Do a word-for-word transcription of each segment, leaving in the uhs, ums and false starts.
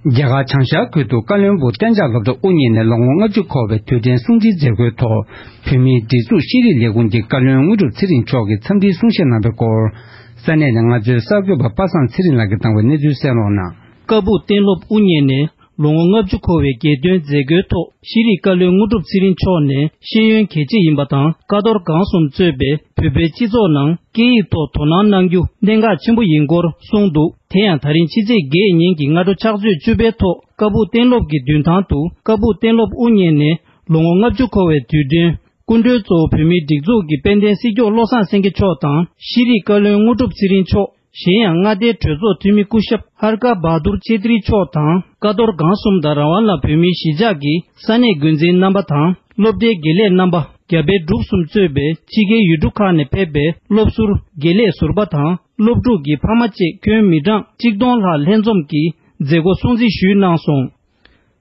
རྒྱ་གར་བྱང་ཤར་ཁུལ་དུ་བཀའ་བློན་སྦུག་གཏན་འཇགས་སློབ་གྲྭ་དབུ་བརྙེས་ནས་ལོ་ངོ་ལྔ་བཅུ་འཁོར་བའི་དུས་དྲན་སྲུང་བརྩིའི་མཛད་སྒོའི་ཐོག་བོད་མིའི་སྒྲིག་འཛུགས་ཤེས་རིག་ལས་ཁུངས་ཀྱི་བཀའ་བློན་དངོས་གྲུབ་ཚེ་རིང་མཆོག་གིས་འཚམས་འདྲིའི་གསུང་བཤད་གནང་བའི་སྐོར། ས་གནས་ནས་ང་ཚོའི་གསར་འགོད་པ་པ་སངས་ཚེ་རིང་ལགས་ཀྱིས་བཏང་བའི་གནས་ཚུལ་གསན་རོགས་གནང་། བཀའ་སྦུག་གཏན་སློབ་དབུ་བརྙེས་ནས་ལོ་ངོ་ལྔ་བཅུ་འཁོར་བའི་རྒྱལ་སྟོན་མཛད་སྒོའི་ཐོག་ཤེས་རིག་བཀའ་བློན་དངོས་གྲུབ་ཚེ་རིང་མཆོག་ནས་ཤེས་ཡོན་གལ་ཆེ་ཡིན་པ་དང་། ཀ་རྡོར་སྒང་གསུམ་གཙོས་པའི་བོད་པའི་སྤྱི་ཚོགས་ནང་སྐད་ཡིག་ཐོག་དོ་སྣང་གནང་རྒྱུ་གནད་འགག་ཆེན་པོ་ཡིན་སྐོར་གསུངས་འདུག་དེ་ཡང་ད་རིང་ཕྱི་ཚེས་བརྒྱད་ཉིན་གྱི་སྔ་དྲོ་ཕྱག་ཚོད་བཅུ་པའི་ཐོག་བཀའ་སྦུག་གཏན་སློབ་ཀྱི་མདུན་ཐང་དུ་བཀའ་སྦུག་གཏན་སློབ་དབུ་བརྙེས་ནས་ལོ་ངོ་ལྔ་བཅུ་འཁོར་བའི་དུས་དྲན་སྐུ་མགྲོན་གཙོ་བོ་བོད་མིའི་སྒྲིག་འཛུགས་ཀྱི་དཔལ་ལྡན་སྲིད་སྐྱོང་བློ་བཟང་སེང་གེ་མཆོག་དང་། ཤེས་རིག་བཀའ་བློན་དངོས་གྲུབ་ཚེ་རིང་མཆོག་གཞན་ཡང་མངའ་སྡེའི་གྲོས་ཚོགས་འཐུས་མི་སྐུ་ཞབས་ཧར་ཀ་བྷ་དུར་ཆེ་ཏྲི་མཆོག་དང་། ཀ་རྡོར་སྒང་གསུམ་དང་རང་དབང་ལ་བོད་མིའི་གཞིས་ཆགས་ཀྱི་ས་གནས་འགོ་འཛིན་རྣམ་པ་དང་། སློབ་གྲྭའི་དགེ་ལས་རྣམ་པ། རྒྱ་བལ་འབྲུག་གསུམ་གཙོས་པའི་ཕྱི་རྒྱལ་ཡུལ་གྲུ་ཁག་ནས་ཕེབས་པའི་སློབ་ཟུར་དགེ་ལས་ཟུར་པ་དང་། སློབ་ཕྲུག་གི་ཕ་མ་བཅས་ཁྱོན་མི་གྲངས་གཅིག་སྟོང་ལྷག་ལྷན་འཛོམས་ཀྱིས་མཛད་སྒོ་སྲུང་བརྩི་ཞུས་གནང་སོང་།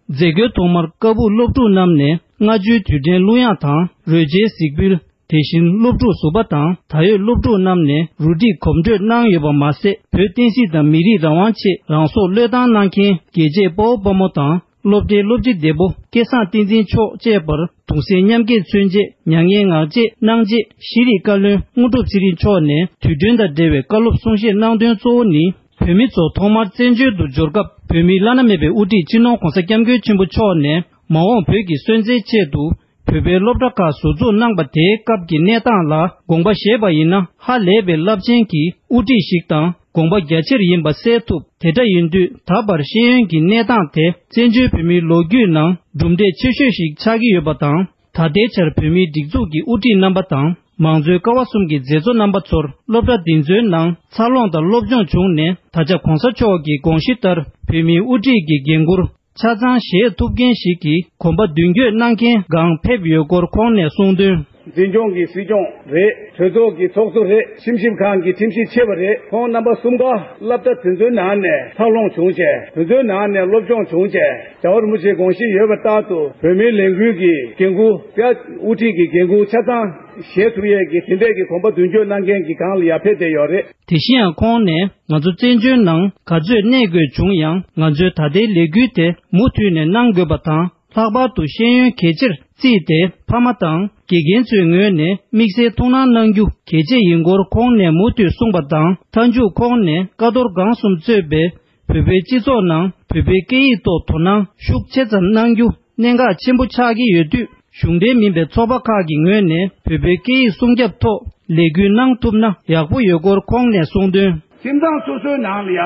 མཛད་སྒོའི་ཐོག་མར་ཀ་སྦུག་སློབ་ཕྲུག་རྣམས་ནས་སྔ་ཕྱིའི་དུས་དྲན་གླུ་དབྱངས་དང་རོལ་ཆའི་གཟིགས་འབུལ། དེ་བཞིན་སློབ་ཕྲུག་ཟུར་པ་དང་ད་ཡོད་སློབ་ཕྲུག་རྣམས་ནས་རུ་སྒྲིག་གོམ་བགྲོད་གནང་ཡོད་པ་མ་ཟད། བོད་བསྟན་སྲིད་དང་མི་རིགས་རང་དབང་ཆེད་རང་སྲོག་བློས་བཏང་གནང་མཁན་རྒྱལ་གཅེས་དཔའ་བོ་དཔའ་མོ་དང་། སློབ་གྲྭའི་སློབ་སྤྱི་བདེ་པོ་སྐལ་བཟང་བསྟན་འཛིན་མཆོག་བཅས་པར་གདུང་སེམས་མཉམ་སྐྱེད་མཚོན་ཆེད་མྱ་ངན་ངག་བཅད་གནང་རྗེས། ཤེས་རིག་བཀའ་བློན་དངོས་གྲུབ་ཚེ་རིང་མཆོག་ནས་དུས་སྟོན་དང་འབྲེལ་བའི་བཀའ་སློབ་གསུང་བཤད་གནང་དོན་གཙོ་བོ་ནི། བོད་མི་ཚོ་ཐོག་མར་བཙན་བྱོལ་དུ་འབྱོར་སྐབས་བོད་མིའི་བླ་ན་མེད་པའི་དབུ་ཁྲིད་སྤྱི་ནོར་༧གོང་ས་༧སྐྱབས་མགོན་ཆེན་པོ་མཆོག་ནས་མ་འོངས་བོད་ཀྱི་སོན་རྩའི་ཆེད་དུ་བོད་པའི་སློབ་གྲྭ་ཁག་ཟུར་འཛུགས་གནང་པ་དེའི་སྐབས་ཀྱི་གནས་སྟངས་ལ་དགོངས་པ་བཞེས་པ་ཡིན་ན། ཧ་ལས་པའི་རླབས་ཆེན་གྱི་དབུ་ཁྲིད་ཞིག་དང་དགོངས་པ་རྒྱ་ཆེར་ཡིན་པ་གསལ་ཐུབ། དེ་འདྲ་ཡིན་དུས་ད་བར་ཤེས་ཡོན་གྱི་གནས་སྟངས་དེ་བཙན་བྱོལ་བོད་མིའི་ལོ་རྒྱུས་ནང་གྲུབ་འབྲས་ཆེ་ཤོས་ཤིག་ཆགས་ཀྱི་ཡོད་པ་དང་། ད་ལྟའི་ཆར་བོད་མིའི་སྒྲིག་འཛུགས་ཀྱི་དབུ་ཁྲིད་རྣམ་པ་དང་། མང་གཙོའི་ཀ་བ་གསུམ་གྱི་མཛད་གཙོ་རྣམ་པ་ཚོར་སློབ་གྲྭ་འདི་ཚོའི་ནང་འཚར་ལོངས་དང་སློབ་སྦྱོང་བྱུང་ནས། ད་ཆ་གོང་ས་མཆོག་གི་དགོངས་གཞི་ལྟར་བོད་མིའི་དབུ་ཁྲིད་ཀྱི་འགན་འཁུར་ཆ་ཚང་བཞེས་ཐུབ་མཁན་ཞིག་གི་གོམ་པ་མདུན་སྐྱོད་གནང་མཁན་སྒང་ཕེབས་ཡོད་སྐོར་ཁོང་ནས་གསུངས་དོན། འཛིན་སྐྱོང་གི་སྲིད་སྐྱོང་རེད། གྲོས་ཚོགས་ཀྱི་ཚོགས་གཙོ་རེད། ཁྲིམས་ཞིབ་ཁང་གི་ཁྲིམས་ཞིབ་ཆེ་བ་རེད། ཁོང་རྣམ་པ་གསུམ་ཀ་སློབ་གྲྭ་དེ་ཚོའི་ནང་ནས་འཚར་ལོངས་བྱུང་བྱས། དེ་ཚོའི་ནང་ནས་སློབ་སྦྱོང་བྱུང་བྱས། རྒྱལ་བ་རིན་པོ་ཆེའི་དགོངས་གཞི་ཡོད་པ་ལྟར་དུ་བོད་མིའི་ལས་འགུལ་གྱི་འགན་འཁུར་དེ་དབུ་ཁྲིད་ཀྱི་འགན་འཁུར་ཆ་ཚང་བཞེས་ཐུབ་ཡས་ཀྱི་དེ་འདྲས་ཀྱི་གོམ་པ་མདུན་སྐྱོད་གནང་མཁན་གྱི་སྒང་ལ་ཡར་ཕེབས་བསྡད་ཡོད་རེད། དེ་བཞིན་ཡང་ཁོང་ནས་ང་ཚོ་བཙན་བྱོལ་ནང་ག་ཚོད་གནས་དགོས་བྱུང་ཡང་། ང་ཚོའི་ད་ལྟའི་ལས་འགུལ་དེ་མུ་མཐུད་ནས་གནང་དགོས་པ་དང་། ལྷག་པར་དུ་ཤེས་ཡོན་གལ་ཆེར་བརྩིས་ཏེ། ཕ་མ་དང་དགེ་རྒན་ཚོའི་ངོས་ནས་དམིགས་བསལ་ཐུགས་སྣང་གནང་རྒྱུ་གལ་ཆེ་ཡིན་སྐོར་ཁོང་ནས་མུ་མཐུད་གསུངས་པ་དང་། མཐའ་མཇུག་ཁོང་ནས་ཀ་རྡོར་སྒང་གསུམ་གཙོས་པའི་བོད་པའི་སྤྱི་ཚོགས་ནང་བོད་པའི་སྐད་ཡིག་ཐོག་དོ་སྣང་ཤུགས་ཆེ་ཙམ་གནང་རྒྱུ་གནད་འགག་ཆེན་པོ་ཆགས་ཀྱི་ཡོད་དུས། གཞུང་འབྲེལ་མིན་པའི་ཚོགས་པ་ཁག་གི་ངོས་ནས་བོད་པའི་སྐད་ཡིག་སྲུང་སྐྱོབ་ཐོག་ལས་འགུལ་གནང་ཐུབ་ན་ཡག་པོ་ཡོད་སྐོར་ཁོང་ནས་གསུངས་དོན། ཁྱིམ་ཚང་སོ་སོའི་ནང་ལ་ཡ།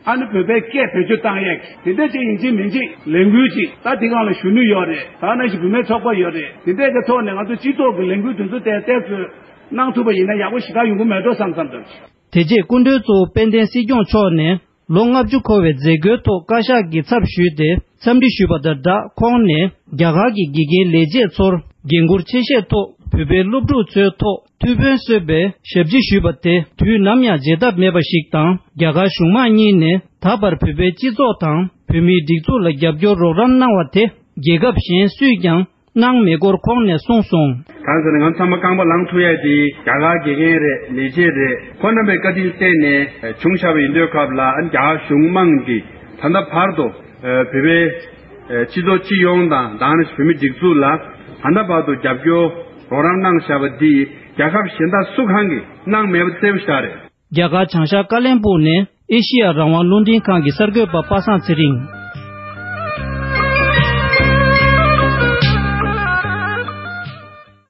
ཨ་ནི་བོད་པའི་སྐད་བེད་སྤྱོད་བཏང་ཡས་ཀྱི་དེ་འདྲ་ཅིག་ཡིན་གཅིག་མིན་གཅིག་ལས་འགུལ་ཅིག་ད་དེ་སྒང་ལ་གཞོན་ནུ་ཡོད་རེད། ད་ནང་བཞིན་བུད་མེད་ཚོགས་པ་ཡོད་རེད། དེ་འདྲས་ཀྱི་ཐོག་ནས་ང་ཚོ་སྤྱི་ཚོགས་ཀྱི་ལས་འགུལ་དེ་ཚོ་ཏན་ཏན་ཚོས་གནང་ཐུབ་པ་ཡིན་ན་ཡག་པོ་ཞེ་དྲག་ཡོང་གི་མེད་འགྲོ་བསམ་བསམ་འདུག་དེ་རྗེས་སྐུ་མགྲོན་གཙོ་བོ་དཔལ་ལྡན་སྲིད་སྐྱོང་མཆོག་ནས་ལོ་ལྔ་བཅུ་འཁོར་བའི་མཛད་སྒོའི་ཐོག་བཀའ་ཤག་གི་ཚབ་ཞུས་ཏེ་འཚམས་འདྲི་ཞུས་པ་དང་སྦྲགས། ཁོང་ནས་རྒྱ་གར་གྱི་དགེ་རྒན་ལས་བྱེད་ཚོར་འགན་འཁུར་ཆེ་བཞེས་ཐོག་བོད་པའི་སློབ་ཕྲུག་ཚོའི་ཐོག་ཐུགས་ཕན་གསོས་པའི་ཞབས་ཕྱི་ཞུས་པ་དེ་དུས་ནམ་ཡང་བརྗེད་ཐབས་མེད་པ་ཞིག་དང་། རྒྱ་གར་གཞུང་མང་གཉིས་ནས་ད་བར་བོད་པའི་སྤྱི་ཚོགས་དང་བོད་མིའི་སྒྲིག་འཛུགས་ལ་རྒྱབ་སྐྱོར་རོགས་རམ་གནང་བ་དེ་རྒྱལ་ཁབ་གཞན་སུས་ཀྱང་གནང་མེད་སྐོར་ཁོང་ནས་གསུངས་སོང་། གང་ཟེར་ན་ང་ཚང་མ་རྐང་པ་ལངས་ཐུབ་ཡ་དེ་རྒྱ་གར་དགེ་རྒན་རེད། ལས་བྱེད་རེད། ཁོ་རྣམ་པའི་བཀའ་དྲིན་བརྟེན་ནས་བྱུང་བཞག་པ་ཡིན་དུས་སྐབས་ལ། ཨ་ནི་རྒྱ་གར་གཞུང་མང་གིས་ད་ལྟ་བར་དུ་བོད་པའི་སྤྱི་ཚོགས་སྤྱི་ཡོངས་དང་། ད་ནི་བོད་མི་སྒྲིག་འཛུགས་ལ་ད་ལྟ་བར་དུ་རྒྱབ་སྐྱོར་རོགས་རམ་གནང་བཞག་པ་འདི་རྒྱལ་ཁབ་གཞན་དག་སུ་གང་གིས་གནང་མེད་པ་གསལ་པོ་ཞིག་རེད། རྒྱ་གར་བྱང་ཤར་ཀ་ལོན་སྦུག་ནས་ཨེ་ཤི་ཡ་རང་དབང་རླུང་འཕྲིན་ཁང་གི་གསར་འགོད་པ་པ་སངས་ཚེ་རིང་།